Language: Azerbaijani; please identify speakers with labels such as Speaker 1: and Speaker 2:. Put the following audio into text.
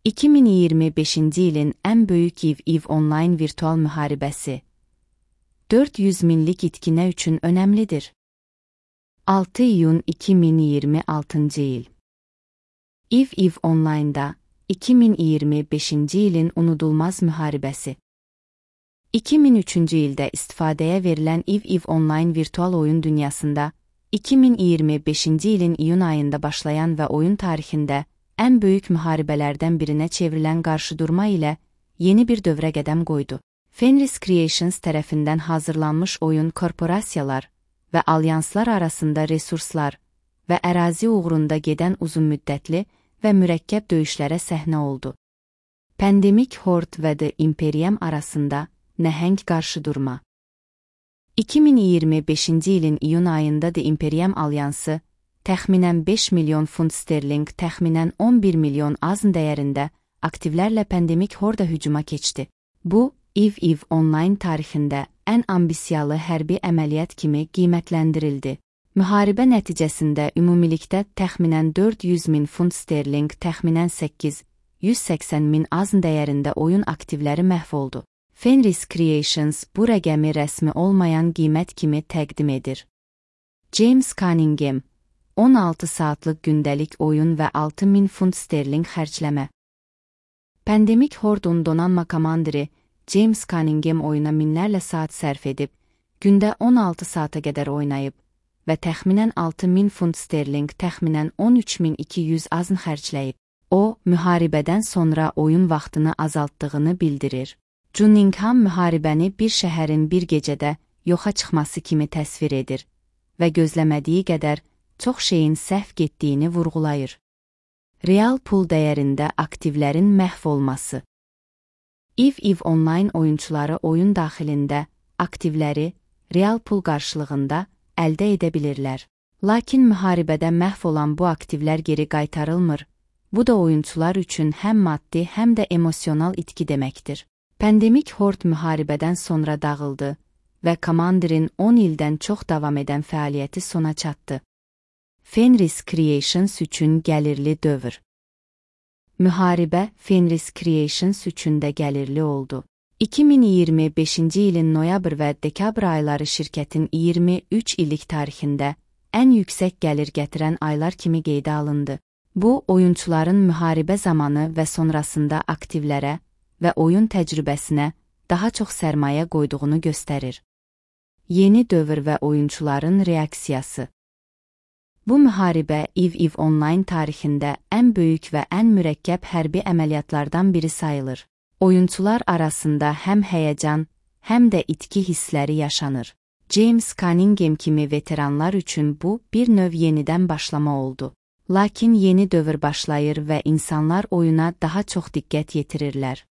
Speaker 1: 2025-ci ilin ən böyük EVE onlayn virtual müharibəsi 400 minlik itkinə üçün önəmlidir. 6 iyun 2026-cı il. EVE onlaynda 2025-ci ilin unudulmaz müharibəsi. 2003-cü ildə istifadəyə verilən EVE onlayn virtual oyun dünyasında 2025-ci ilin iyun ayında başlayan və oyun tarixində ən böyük müharibələrdən birinə çevrilən qarşıdurma ilə yeni bir dövrə qədəm qoydu. Fenris Creations tərəfindən hazırlanmış oyun korporasiyalar və alyanslar arasında resurslar və ərazi uğrunda gedən uzunmüddətli və mürəkkəb döyüşlərə səhnə oldu. Pandemic Horde və The Imperium arasında nəhəng qarşıdurma. 2025-ci ilin iyun ayında The Imperium alyansı təxminən 5 milyon funt sterling, təxminən 11 milyon AZN dəyərində aktivlərlə Pandemic Horde hücuma keçdi. Bu, EVE onlayn tarixində ən ambisiyalı hərbi əməliyyat kimi qiymətləndirildi. Müharibə nəticəsində ümumilikdə təxminən 400 min funt sterling, təxminən 880 min AZN dəyərində oyun aktivləri məhv oldu. Fenris Creations bu rəqəmi rəsmi olmayan qiymət kimi təqdim edir. James Cunningham 16 saatlıq gündəlik oyun və 6000 funt sterling xərcləmə. Pandemic Horde'un donanma komandiri James Cunningham oyuna minlərlə saat sərf edib, gündə 16 saata qədər oynayıb və təxminən 6000 funt sterling, təxminən 13200 AZN xərcləyib. O, müharibədən sonra oyun vaxtını azaltdığını bildirir. Cunningham müharibəni bir şəhərin bir gecədə yoxa çıxması kimi təsvir edir və gözləmədiyi qədər çox şeyin səhv getdiyini vurğulayır. Real pul dəyərində aktivlərin məhv olması. EVE onlayn oyunçuları oyun daxilində aktivləri real pul qarşılığında əldə edə bilirlər. Lakin müharibədə məhv olan bu aktivlər geri qaytarılmır. Bu da oyunçular üçün həm maddi, həm də emosional itki deməkdir. Pandemic Horde müharibədən sonra dağıldı və komandirin 10 ildən çox davam edən fəaliyyəti sona çatdı. Fenris Creations üçün gəlirli dövr. Müharibə Fenris Creations üçün də gəlirli oldu. 2025-ci ilin noyabr və dekabr ayları şirkətin 23 illik tarixində ən yüksək gəlir gətirən aylar kimi qeydə alındı. Bu, oyunçuların müharibə zamanı və sonrasında aktivlərə və oyun təcrübəsinə daha çox sərmayə qoyduğunu göstərir. Yeni dövr və oyunçuların reaksiyası. Bu müharibə EVE onlayn tarixində ən böyük və ən mürəkkəb hərbi əməliyyatlardan biri sayılır. Oyunçular arasında həm həyəcan, həm də itki hissləri yaşanır. James Cunningham kimi veteranlar üçün bu bir növ yenidən başlama oldu. Lakin yeni dövr başlayır və insanlar oyuna daha çox diqqət yetirirlər.